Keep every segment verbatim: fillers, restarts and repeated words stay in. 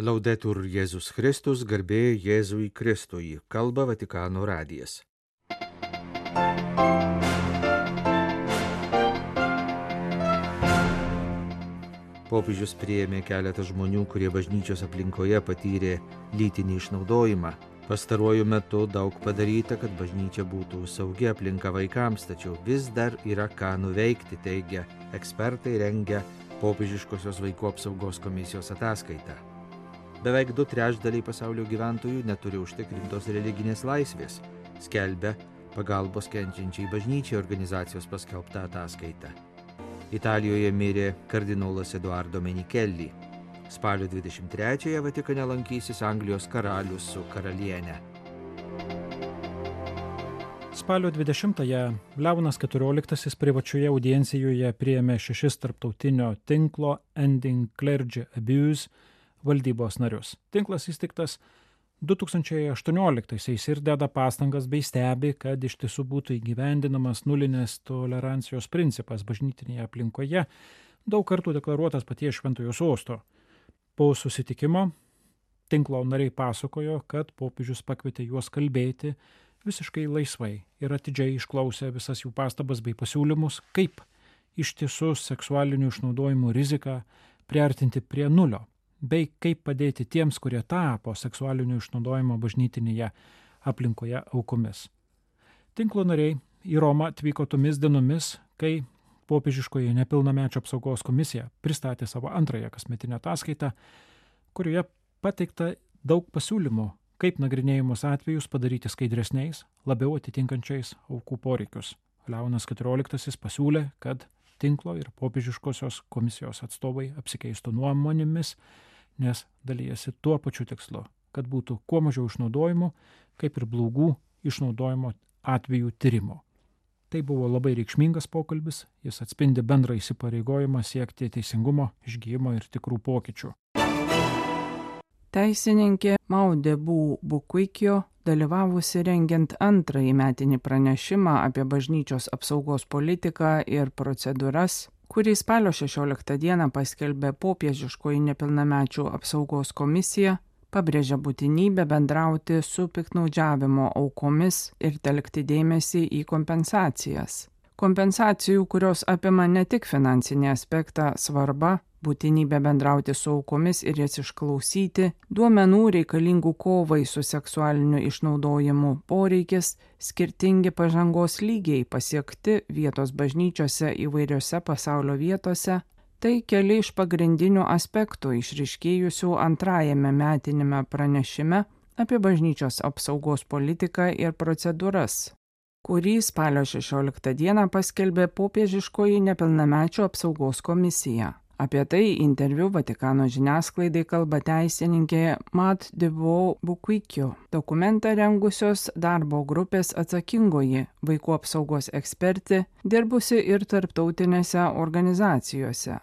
Laudetur Jėzus Kristus, garbė Jėzui Kristui, kalba Vatikano radijas. Popiežius priėmė keletą žmonių, kurie bažnyčios aplinkoje patyrė lytinį išnaudojimą. Pastaruoju metu daug padaryta, kad bažnyčia būtų saugi aplinka vaikams, tačiau vis dar yra ką nuveikti, teigia ekspertai rengia popiežiškosios vaikų apsaugos komisijos ataskaitą. Beveik du trečdaliai pasaulio gyventojų neturi užtikrintos religinės laisvės, skelbia pagalbos kenčiančiai bažnyčiai organizacijos paskelbta ataskaita. Italijoje mirė kardinolas Eduardo Menicelli. Spalio dvidešimt trečiąją Vatikane lankysis Anglijos karalius su karaliene. Spalio dvidešimtąją Leonas keturioliktasis privačioje audiencijoje priėmė šešis tarptautinio tinklo Ending Clergy Abuse valdybos narius. Tinklas įsteigtas du tūkstančiai aštuonioliktaisiais ir deda pastangas bei stebi, kad iš tiesų būtų įgyvendinamas nulinės tolerancijos principas bažnytinėje aplinkoje, daug kartų deklaruotas paties Šventojo Sosto. Po susitikimo tinklo nariai pasakojo, kad popiežius pakvietė juos kalbėti visiškai laisvai ir atidžiai išklausė visas jų pastabas bei pasiūlymus, kaip iš tiesų seksualinių išnaudojimų riziką priartinti prie nulio, bei kaip padėti tiems, kurie tapo seksualinio išnaudojimo bažnytinėje aplinkoje aukomis. Tinklo nariai į Romą atvyko tomis dienomis, kai popiežiškoji nepilnamečio apsaugos komisija pristatė savo antrąją kasmetinę ataskaitą, kurioje pateikta daug pasiūlymų, kaip nagrinėjimus atvejus padaryti skaidresniais, labiau atitinkančiais aukų poreikius. Leonas keturioliktasis pasiūlė, kad tinklo ir popiežiškosios komisijos atstovai apsikeistų nuomonėmis, nes dalyjasi tuo pačiu tikslu, kad būtų kuo mažiau išnaudojimų, kaip ir blogų išnaudojimo atvejų tyrimo. Tai buvo labai reikšmingas pokalbis, jis atspindi bendrą įsipareigojimą siekti teisingumo, išgyjimo ir tikrų pokyčių. Teisininkė Maudebu Bukuikio, dalyvavusi rengiant antrąjį metinį pranešimą apie bažnyčios apsaugos politiką ir procedūras, kurį spalio šešioliktą dieną paskelbė popiežiškoji nepilnamečių apsaugos komisija, pabrėžia būtinybę bendrauti su piktnaudžiavimo aukomis ir telkti dėmesį į kompensacijas. Kompensacijų, kurios apima ne tik finansinį aspektą, svarba, būtinybė bendrauti su aukomis ir jas išklausyti, duomenų reikalingų kovai su seksualiniu išnaudojimu poreikis, skirtingi pažangos lygiai pasiekti vietos bažnyčiose įvairiose pasaulio vietose, tai keli iš pagrindinių aspektų išryškėjusių antrajame metinėme pranešime apie bažnyčios apsaugos politiką ir procedūras, kurį spalio šešioliktą dieną paskelbė popiežiškoji nepilnamečių apsaugos komisija. Apie tai interviu Vatikano žiniasklaidai kalba teisininkė Maudebu Bukuikio, dokumentą rengusios darbo grupės atsakingoji vaikų apsaugos ekspertė, dirbusi ir tarptautinėse organizacijose.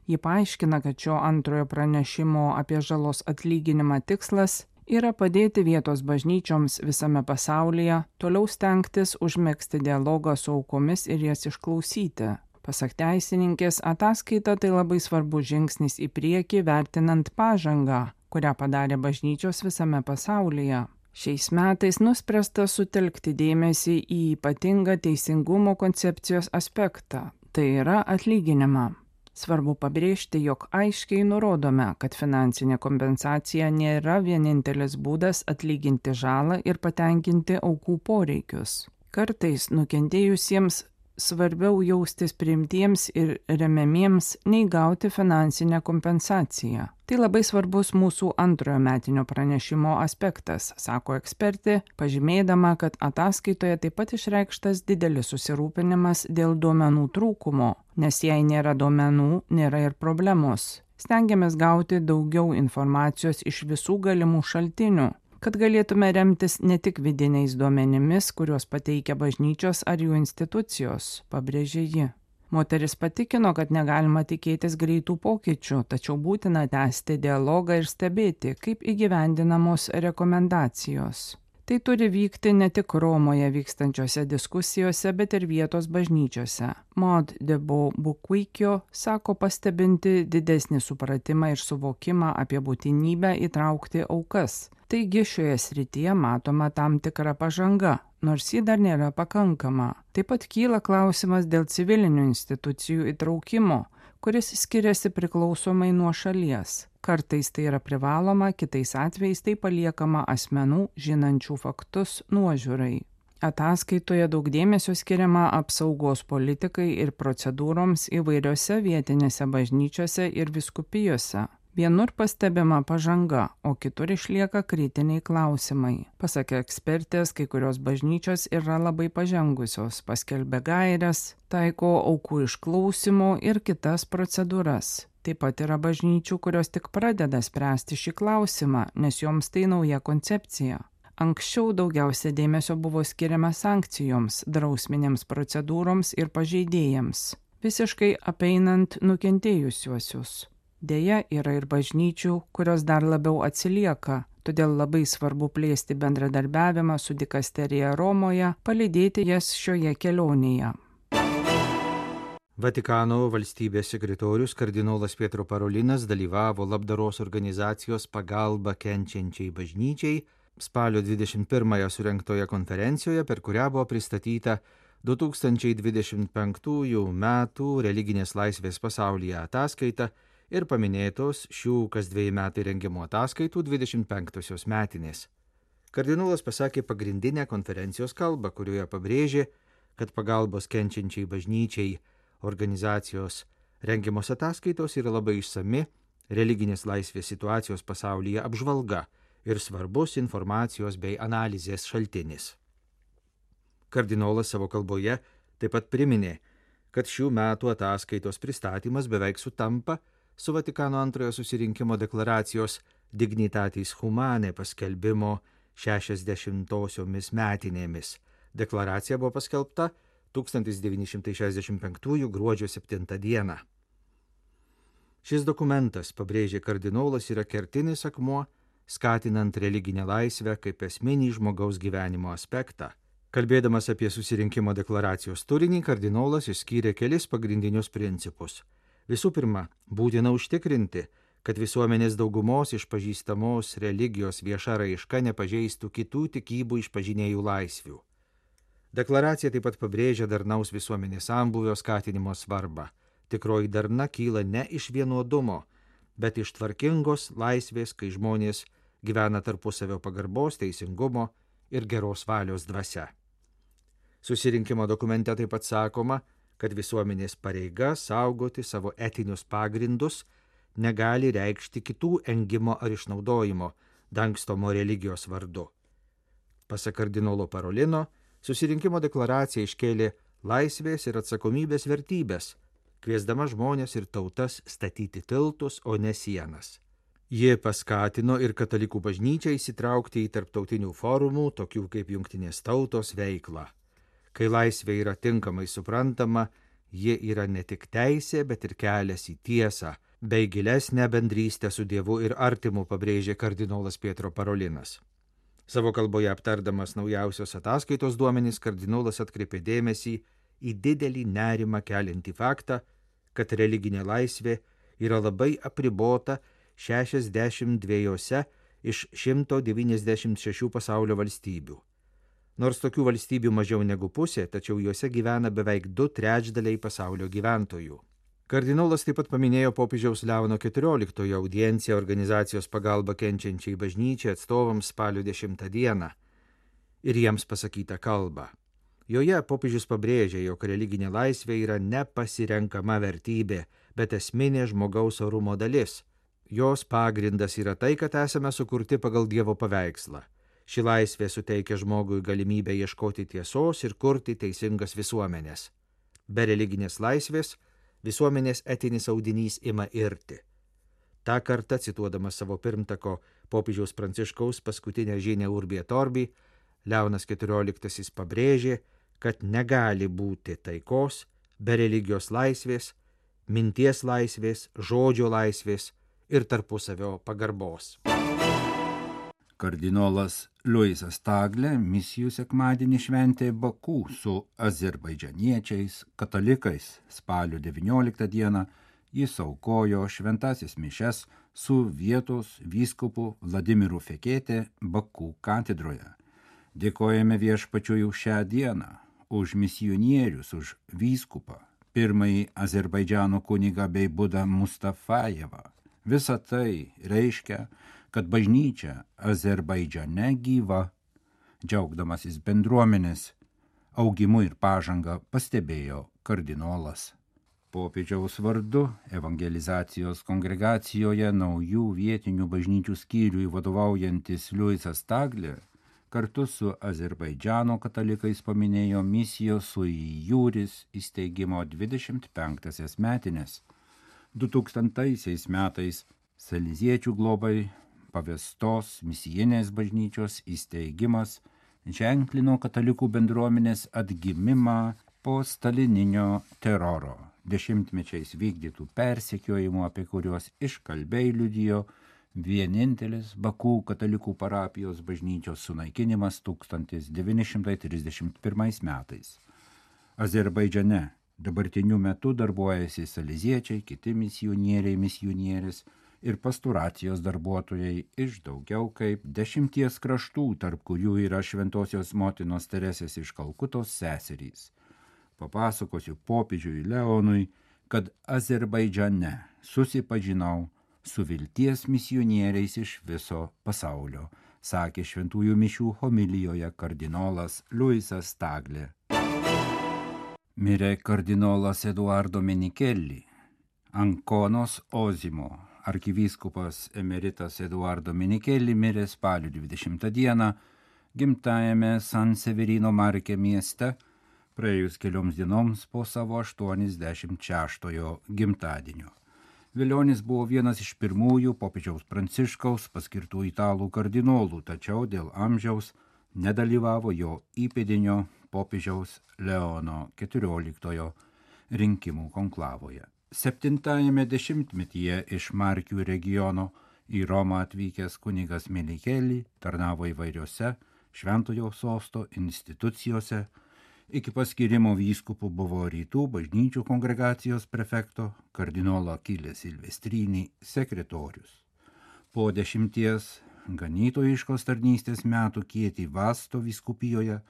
Ji paaiškina, kad šio antrojo pranešimo apie žalos atlyginimą tikslas yra padėti vietos bažnyčioms visame pasaulyje toliau stengtis užmegzti dialogą su aukomis ir jas išklausyti. Pasak teisininkės, ataskaita tai labai svarbus žingsnis į priekį vertinant pažangą, kurią padarė bažnyčios visame pasaulyje. Šiais metais nuspręsta sutelkti dėmesį į ypatingą teisingumo koncepcijos aspektą, tai yra atlyginimą. Svarbu pabrėžti, jog aiškiai nurodome, kad finansinė kompensacija nėra vienintelis būdas atlyginti žalą ir patenkinti aukų poreikius. Kartais nukentėjusiems svarbiau jaustis priimtiems ir remiamiems, nei gauti finansinę kompensaciją. Tai labai svarbus mūsų antrojo metinio pranešimo aspektas, sako ekspertė, pažymėdama, kad ataskaitoje taip pat išreikštas didelis susirūpinimas dėl duomenų trūkumo, nes jei nėra duomenų, nėra ir problemos. Stengiamės gauti daugiau informacijos iš visų galimų šaltinių, kad galėtume remtis ne tik vidiniais duomenimis, kuriuos pateikia bažnyčios ar jų institucijos, pabrėžė ji. Moteris patikino, kad negalima tikėtis greitų pokyčių, tačiau būtina tęsti dialogą ir stebėti, kaip įgyvendinamos rekomendacijos. Tai turi vykti ne tik Romoje vykstančiose diskusijose, bet ir vietos bažnyčiose. Maud de Beaupuikio sako pastebinti didesnį supratimą ir suvokimą apie būtinybę įtraukti aukas. Taigi šioje srityje matoma tam tikra pažanga, nors ji dar nėra pakankama. Taip pat kyla klausimas dėl civilinių institucijų įtraukimo, kuris skiriasi priklausomai nuo šalies. Kartais tai yra privaloma, kitais atvejais tai paliekama asmenų žinančių faktus nuožiūrai. Ataskaitoje daug dėmesio skiriama apsaugos politikai ir procedūroms įvairiose vietinėse bažnyčiose ir vyskupijose. Vienur pastebima pažanga, o kitur išlieka kritiniai klausimai. Pasak ekspertės, kai kurios bažnyčios yra labai pažengusios, paskelbė gaires, taiko aukų išklausimo ir kitas procedūras. Taip pat yra bažnyčių, kurios tik pradeda spręsti šį klausimą, nes joms tai nauja koncepcija. Anksčiau daugiausia dėmesio buvo skiriama sankcijoms, drausminėms procedūroms ir pažeidėjams, visiškai apeinant nukentėjusiuosius. Deja, yra ir bažnyčių, kurios dar labiau atsilieka, todėl labai svarbu plėsti bendradarbiavimą su dikasterija Romoje, palydėti jas šioje kelionėje. Vatikano valstybės sekretorius kardinolas Pietro Parolinas dalyvavo labdaros organizacijos Pagalba kenčiančiai bažnyčiai spalio dvidešimt pirmąją surengtoje konferencijoje, per kurią buvo pristatyta du tūkstančiai dvidešimt penktųjų metų religinės laisvės pasaulyje ataskaita ir paminėtos šių kas dviejų metų rengiamų ataskaitų dvidešimt penktosios metinės. Kardinolas pasakė pagrindinę konferencijos kalbą, kurioje pabrėžė, kad pagalbos kenčiančiai bažnyčiai organizacijos rengiamos ataskaitos yra labai išsami religinės laisvės situacijos pasaulyje apžvalga ir svarbus informacijos bei analizės šaltinis. Kardinolas savo kalboje taip pat priminė, kad šių metų ataskaitos pristatymas beveik sutampa su Vatikano antrojo susirinkimo deklaracijos Dignitatis Humanae paskelbimo šešiasdešimtosiomis metinėmis. Deklaracija buvo paskelbta tūkstantis devyni šimtai šešiasdešimt penktųjų gruodžio septintą dieną. Šis dokumentas, pabrėžė kardinolas, yra kertinis akmuo, skatinant religinę laisvę kaip esminį žmogaus gyvenimo aspektą. Kalbėdamas apie susirinkimo deklaracijos turinį, kardinolas išskyrė kelis pagrindinius principus. Visų pirma, būtina užtikrinti, kad visuomenės daugumos išpažįstamos religijos vieša raiška nepažeistų kitų tikybų išpažinėjų laisvių. Deklaracija taip pat pabrėžia darnaus visuomenės sambūvio skatinimo svarbą. Tikroji darna kyla ne iš vienuodumo, bet iš tvarkingos laisvės, kai žmonės gyvena tarpusavio pagarbos, teisingumo ir geros valios dvasia. Susirinkimo dokumente taip pat sakoma, kad visuomenės pareiga saugoti savo etinius pagrindus negali reikšti kitų engimo ar išnaudojimo, dangstomo religijos vardu. Pasak kardinolo Parolino, susirinkimo deklaracija iškėlė laisvės ir atsakomybės vertybės, kviesdama žmonės ir tautas statyti tiltus, o ne sienas. Ji paskatino ir katalikų bažnyčią įsitraukti į tarptautinių forumų, tokių kaip Jungtinės tautos, veiklą. Kai laisvė yra tinkamai suprantama, ji yra ne tik teisė, bet ir kelias į tiesą, bei gilesnę bendrystę su Dievu ir artimu, pabrėžė kardinolas Pietro Parolinas. Savo kalboje aptardamas naujausios ataskaitos duomenys, kardinolas atkreipė dėmesį į didelį nerimą keliantį faktą, kad religinė laisvė yra labai apribota šešiasdešimt dviejose iš šimto devyniasdešimt šešių pasaulio valstybių. Nors tokių valstybių mažiau negu pusė, tačiau juose gyvena beveik du trečdaliai pasaulio gyventojų. Kardinolas taip pat paminėjo popiežiaus Leono keturioliktojo audienciją organizacijos Pagalba kenčiančiai bažnyčiai atstovams spalio dešimtą dieną ir jiems pasakytą kalbą. Joje popiežius pabrėžė, jog religinė laisvė yra nepasirenkama vertybė, bet esminė žmogaus orumo dalis. Jos pagrindas yra tai, kad esame sukurti pagal Dievo paveikslą. Ši laisvė suteikia žmogui galimybę ieškoti tiesos ir kurti teisingas visuomenės. Be religinės laisvės visuomenės etinis audinys ima irti. Ta kartą, cituodamas savo pirmtako popiežiaus Pranciškaus paskutinę žinią Urbi et Orbi, Leonas keturioliktasis pabrėžė, kad negali būti taikos be religijos laisvės, minties laisvės, žodžio laisvės ir tarpusavio pagarbos. Kardinolas Luisas Taglė misijų sekmadienį šventė Baku su azerbaidžaniečiais, katalikais. Spalio devynioliktą dieną jis aukojo šventasis mišias su vietos vyskupu Vladimiru Fekete Baku katedroje. Dėkojame Viešpačiui už šią dieną, už misionierius, už vyskupą, pirmąjį Azerbaidžano kunigą bei Budą Mustafajevą. Visa tai reiškia, kad bažnyčia Azerbaidžane gyva. Džiaugdamasis bendruomenės augimu ir pažanga pastebėjo kardinolas. Popiežiaus vardu evangelizacijos kongregacijoje naujų vietinių bažnyčių skyriui vadovaujantis Luisas Taglė kartu su Azerbaidžano katalikais paminėjo misijos sui iuris įsteigimo dvidešimt penktąsias metines. du tūkstantaisiais metais Saleziečių globai pavestos misijinės bažnyčios įsteigimas ženklino katalikų bendruomenės atgimimą po stalininio teroro, dešimtmečiais vykdytų persekiojimų, apie kuriuos iškalbiai liudijo vienintelis Baku katalikų parapijos bažnyčios sunaikinimas tūkstantis devyni šimtai trisdešimt pirmais metais. Azerbaidžane dabartiniu metu darbuojasi saleziečiai, kiti misionieriai, misionierės ir pastoracijos darbuotojai iš daugiau kaip dešimties kraštų, tarp kurių yra Šventosios motinos Teresės iš Kalkutos seserys. Papasakosiu popiežiui Leonui, kad Azerbaidžane susipažinau su vilties misionieriais iš viso pasaulio, sakė šventųjų mišių homilijoje kardinolas Luisas Taglė. Mirė kardinolas Eduardo Menichelli, Ankonos Ozimo. Arkivyskupas emeritas Eduardo Menichelli mirė spalio dvidešimtą dieną gimtajame San Severino Marke mieste, praėjus kelioms dienoms po savo aštuoniasdešimt šeštojo gimtadienio. Velionis buvo vienas iš pirmųjų popiežiaus Pranciškaus paskirtų italų kardinolų, tačiau dėl amžiaus nedalyvavo jo įpėdinio popiežiaus Leono keturioliktojo rinkimų konklavoje. Septintajame dešimtmetyje iš Markių regiono į Romą atvykęs kunigas Menichelli tarnavo įvairiose Šventojo sosto institucijose. Iki paskirimo vyskupu buvo Rytų bažnyčių kongregacijos prefekto kardinolo Achille Silvestrini sekretorius. Po dešimties ganytojiškos tarnystės metų Kieti Vasto vyskupijoje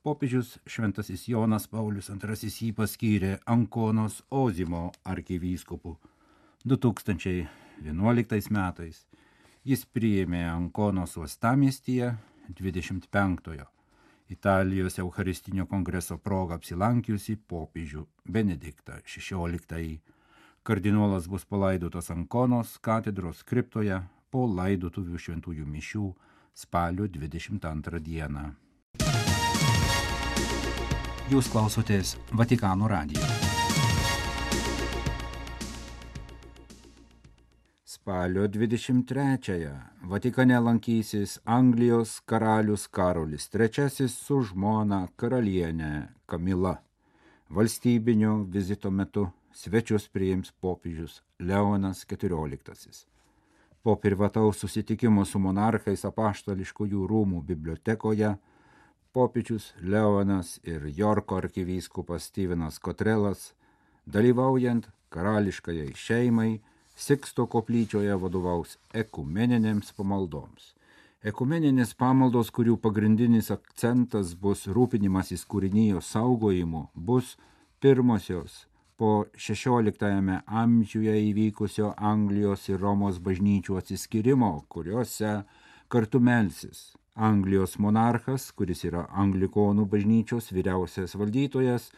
popiežius Šventasis Jonas Paulius antrasis jį paskyrė Ankonos Ozimo arkivyskupu. du tūkstančiai vienuoliktais metais jis priėmė Ankonos uostamiestyje dvidešimt penktojo Italijos Eucharistinio kongreso proga apsilankiusi popiežių Benediktą šešioliktąjį. Kardinolas bus palaidotas Ankonos katedros kriptoje po laidotuvių šventųjų mišių spalio dvidešimt antrą dieną. Jūs klausotės Vatikano radijo. Spalio dvidešimt trečiąją Vatikane lankysis Anglijos karalius Karolis trečiasis su žmona karaliene Kamila. Valstybinio vizito metu svečius priims popiežius Leonas keturioliktasis. Po privataus susitikimo su monarchais Apaštališkųjų rūmų bibliotekoje popiežius Leonas ir Jorko arkivyskupas Stevenas Kotrelas, dalyvaujant karališkajai šeimai, Siksto koplyčioje vadovaus ekumeninėms pamaldoms. Ekumeninės pamaldos, kurių pagrindinis akcentas bus rūpinimasis kūrinijos saugojimu, bus pirmosios po šešioliktajame amžiuje įvykusio Anglijos ir Romos bažnyčių atsiskyrimo, kuriuose kartu melsis Anglijos monarchas, kuris yra anglikonų bažnyčios vyriausias valdytojas,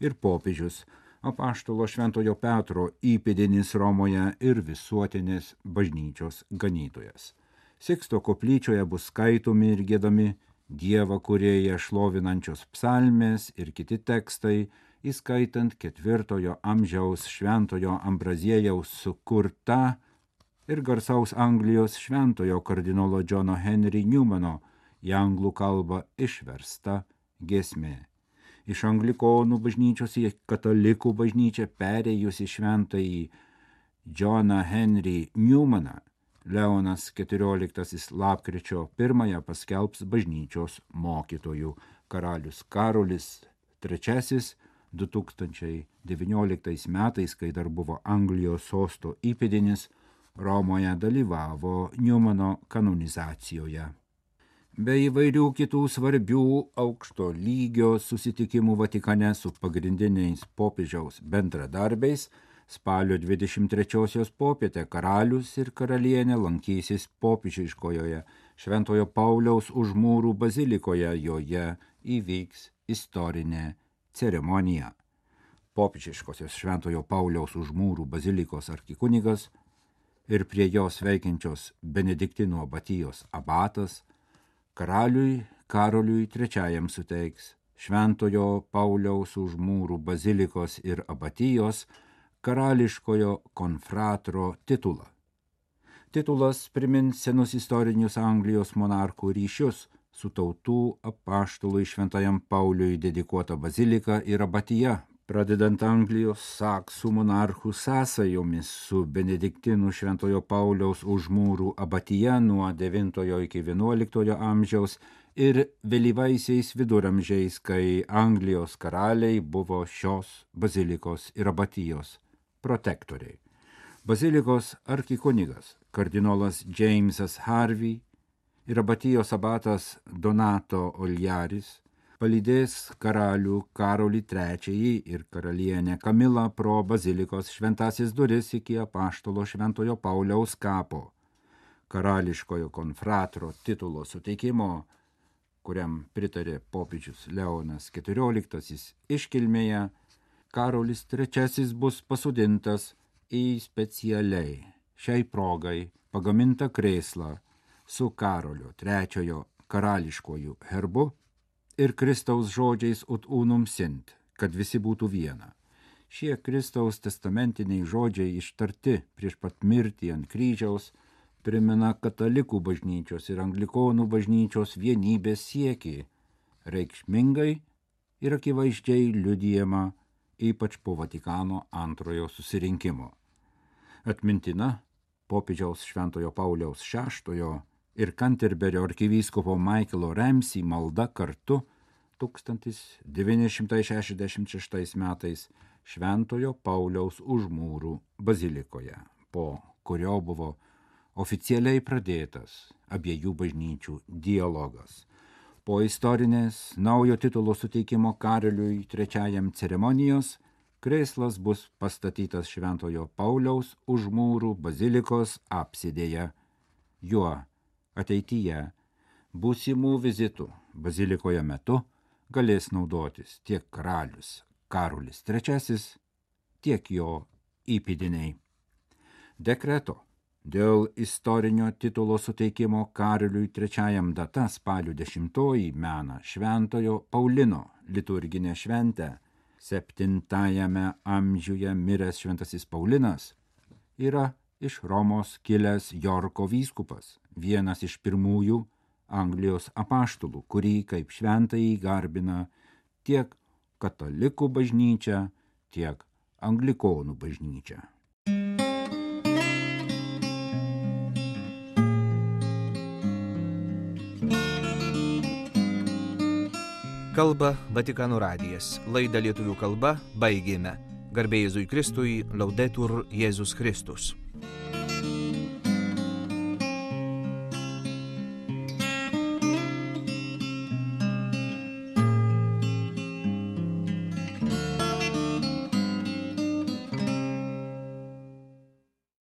ir popiežius, apaštalo Šventojo Petro įpėdinis Romoje ir visuotinės bažnyčios ganytojas. Siksto koplyčioje bus skaitomi ir giedami Dievą kūrėją šlovinančios psalmės ir kiti tekstai, įskaitant ketvirtojo amžiaus Šventojo Ambraziejaus sukurta ir garsaus Anglijos šventojo kardinolo Džono Henry Newmano į anglų kalbą išversta giesmė. Iš anglikonų bažnyčios į katalikų bažnyčią perėjusi šventąjį Džoną Henry Newmaną Leonas keturioliktasis lapkričio pirmąją paskelbs bažnyčios mokytojų. Karalius Karolis trečiasis du tūkstančiai devynioliktais metais, kai dar buvo Anglijos sosto įpėdinis, Romoje dalyvavo Niumano kanonizacijoje. Be įvairių kitų svarbių aukšto lygio susitikimų Vatikane su pagrindiniais popiežiaus bendradarbiais, spalio dvidešimt trečiosios popietę karalius ir karalienė lankysis popiežiškojoje Šventojo Pauliaus Užmūrų bazilikoje, joje įvyks istorinė ceremonija. Popiežiškosios Šventojo Pauliaus Užmūrų bazilikos arkikunigas ir prie jos veikiančios Benediktinų abatijos abatas karaliui Karoliui trečiajam suteiks Šventojo Pauliaus Užmūrų bazilikos ir abatijos karališkojo konfratro titulą. Titulas primins senus istorinius Anglijos monarchų ryšius su tautų apaštalui Šventajam Pauliui dedikuota bazilika ir abatija, pradedant Anglijos saksų monarchų sąsajomis su Benediktinų Šventojo Pauliaus Užmūrų abatija nuo devintojo iki vienuoliktojo amžiaus ir vėlyvaisiais viduramžiais, kai Anglijos karaliai buvo šios bazilikos ir abatijos protektoriai. Bazilikos arkikunigas kardinolas Jamesas Harvey ir abatijos abatas Donato Oljaris palydės karalių Karolį trečiąjį ir karalienę Kamilą pro bazilikos šventasis duris iki apaštalo Šventojo Pauliaus kapo. Karališkojo konfratro titulo suteikimo, kuriam pritarė popiežius Leonas keturioliktasis iškilmėje, Karolis trečiasis bus pasodintas į specialiai šiai progai pagamintą krėslą su Karolio trečiojo karališkojų herbu ir Kristaus žodžiais ut unum sint, kad visi būtų viena. Šie Kristaus testamentiniai žodžiai ištarti prieš pat mirtį ant kryžiaus primena katalikų bažnyčios ir anglikonų bažnyčios vienybės siekį, reikšmingai ir akivaizdžiai liudijama ypač po Vatikano antrojo susirinkimo. Atmintina popiežiaus Šventojo Pauliaus šeštojo ir Kanterberio arkivyskupo Michaelo Ramsey malda kartu tūkstantis devyni šimtai šešiasdešimt šeštais metais Šventojo Pauliaus Užmūrų bazilikoje, po kurio buvo oficialiai pradėtas abiejų bažnyčių dialogas. Po istorinės naujo titulo suteikimo Karoliui trečiajam ceremonijos, krėslas bus pastatytas Šventojo Pauliaus Užmūrų bazilikos apsidėje. Juo ateityje būsimų vizitų bazilikoje metu galės naudotis tiek karalius Karolis trečiasis, tiek jo įpėdiniai. Dekreto dėl istorinio titulo suteikimo Karoliui trečiajam data spalio dešimtoji mena Šventojo Paulino liturginę šventę. Septintajame amžiuje miręs Šventasis Paulinas yra iš Romos kilęs Jorko vyskupas, vienas iš pirmųjų Anglijos apaštalų, kurį kaip šventąjį garbina tiek katalikų bažnyčia, tiek anglikonų bažnyčia. Kalba Vatikano radijas. Laidą lietuvių kalba baigėme. Garbė Jėzui Kristui, Laudetur Jėzus Kristus.